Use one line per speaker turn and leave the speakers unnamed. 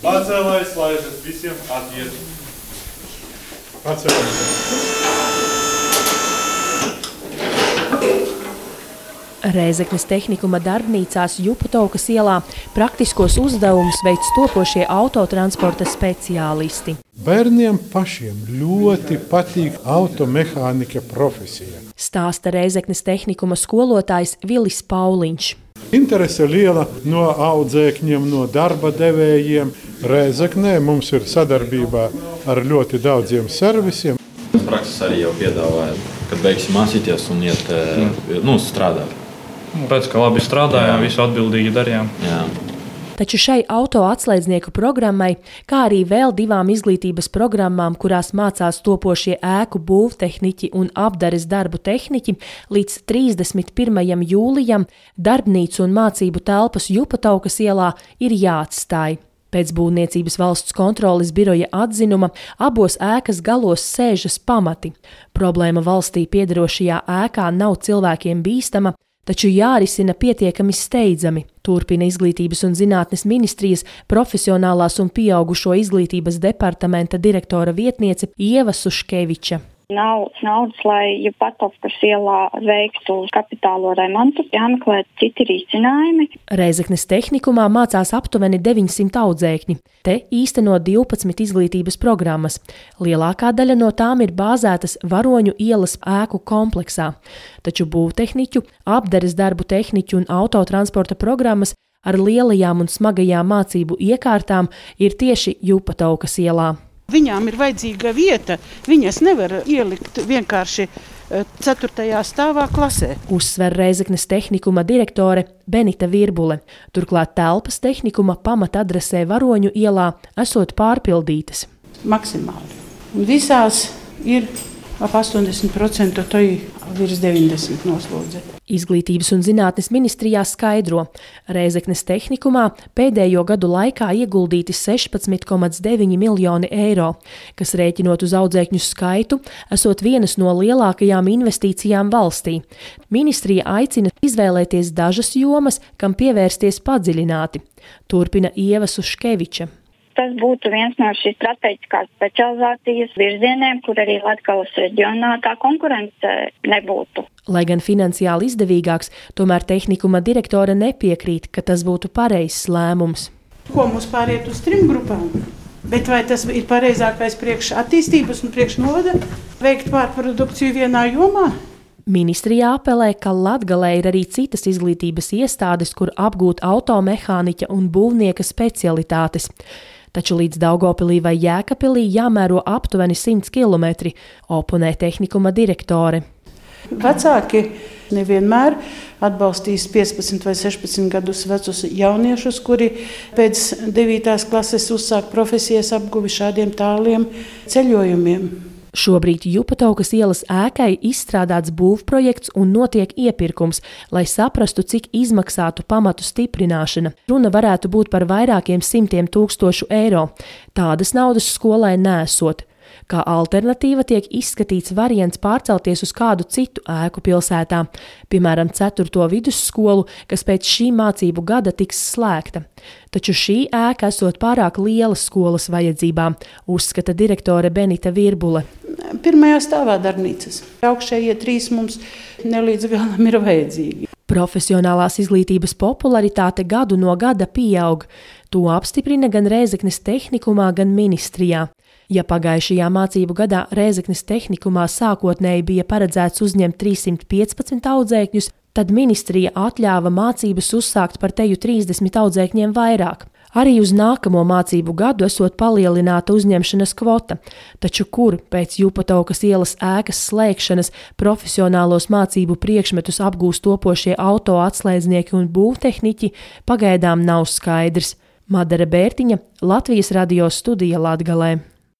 Pacēlājs, laižas, visiem atiet. Pacēlājs.
Rēzeknes tehnikuma darbnīcās Jupatovkas ielā praktiskos uzdevumus veic topošie autotransporta speciālisti.
Bērniem pašiem ļoti patīk automehānika profesija.
Stāsta Rēzeknes tehnikuma skolotājs Vilis Pauliņš.
Interese liela no audzēkņiem, no darba devējiem. Rēzeknē mums ir sadarbībā ar ļoti daudziem servisiem.
Prakses arī jau piedāvāja, kad beigsim mācīties un iet strādāt.
Pēc, ka labi strādājām, visu atbildīgi darījām.
Jā.
Taču šai auto atslēdznieku programmai, kā arī vēl 2 izglītības programmām, kurās mācās topošie ēku būvtehniķi un apdares darbu tehniķi, līdz 31. jūlijam darbnīcu un mācību telpas Jupatovkas ielā ir jāatstāj. Pēc Būvniecības valsts kontroles biroja atzinuma abos ēkas galos sēžas pamati. Problēma valstī piederošajā ēkā nav cilvēkiem bīstama, taču jārisina pietiekami steidzami, turpina Izglītības un zinātnes ministrijas profesionālās un pieaugušo izglītības departamenta direktora vietniece Ieva Suškeviča.
Nav naudas, lai Jupatovkas ielā veiktu kapitālo remontu, jāmeklē citi risinājumi.
Rēzeknes tehnikumā mācās aptuveni 900 audzēkņi. Te īsteno 12 izglītības programmas. Lielākā daļa no tām ir bāzētas Varoņu ielas ēku kompleksā. Taču būvtehniķu, apdares darbu tehniķu un autotransporta programmas ar lielajām un smagajām mācību iekārtām ir tieši Jupatovkas ielā.
Viņām ir vajadzīga vieta, viņas nevar ielikt vienkārši 4. stāvā klasē.
Uzsver Rēzeknes tehnikuma direktore Benita Virbule. Turklāt telpas tehnikuma pamatadresē Varoņu ielā esot pārpildītas.
Maksimāli. Un visās ir ap 80%, to ir virs 90% noslodze.
Izglītības un zinātnes ministrijā skaidro, Rēzeknes tehnikumā pēdējo gadu laikā ieguldīti 16,9 miljoni eiro, kas rēķinot uz audzēkņu skaitu, esot vienas no lielākajām investīcijām valstī. Ministrija aicina izvēlēties dažas jomas, kam pievērsties padziļināti, turpina Ieva Suškeviča.
Tas būtu viens no šīs strateģiskās specializācijas virzieniem, kur arī Latgales reģionā tā konkurence nebūtu.
Lai gan finansiāli izdevīgāks, tomēr tehnikuma direktore nepiekrīt, ka tas būtu pareizs lēmums.
Ko mums pāriet uz 3 grupām? Bet vai tas ir pareizākais priekš attīstības un priekš novada veikt pārprodukciju vienā jomā?
Ministrijā apelē, ka Latgalē ir arī citas izglītības iestādes, kur apgūt automehāniķa un būvnieka specialitātes. Taču līdz Daugavpilī vai Jēkabpilī jāmēro aptuveni 100 kilometri, oponē tehnikuma direktore.
Vecāki nevienmēr atbalstīs 15 vai 16 gadus vecus jauniešus, kuri pēc 9. klases uzsāk profesijas apguvi šādiem tāliem ceļojumiem.
Šobrīd Jupatovkas ielas ēkai izstrādāts būvprojekts un notiek iepirkums, lai saprastu, cik izmaksātu pamatu stiprināšana. Runa varētu būt par vairākiem 100,000 eiro. Tādas naudas skolai nesot. Kā alternatīva tiek izskatīts variants pārcelties uz kādu citu ēku pilsētā, piemēram, 4. vidusskolu, kas pēc šī mācību gada tiks slēgta. Taču šī ēka esot pārāk liela skolas vajadzībām, uzskata direktore Benita Virbule.
1. stāvā darbnīcas. Augšējie 3 mums nelīdz galam ir vajadzīgi.
Profesionālās izglītības popularitāte gadu no gada pieaug. To apstiprina gan Rēzeknes tehnikumā, gan ministrijā. Ja pagājušajā mācību gadā Rēzeknes tehnikumā sākotnēji bija paredzēts uzņemt 315 audzēkņus, tad ministrija atļāva mācības uzsākt par teju 30 audzēkņiem vairāk. Arī uz nākamo mācību gadu esot palielināta uzņemšanas kvota, taču kur pēc Jupatovkas ielas ēkas slēgšanas profesionālos mācību priekšmetus apgūst topošie auto atslēdznieki un būvtehniķi, pagaidām nav skaidrs. Madara Bērtiņa, Latvijas radio studija Latgalē.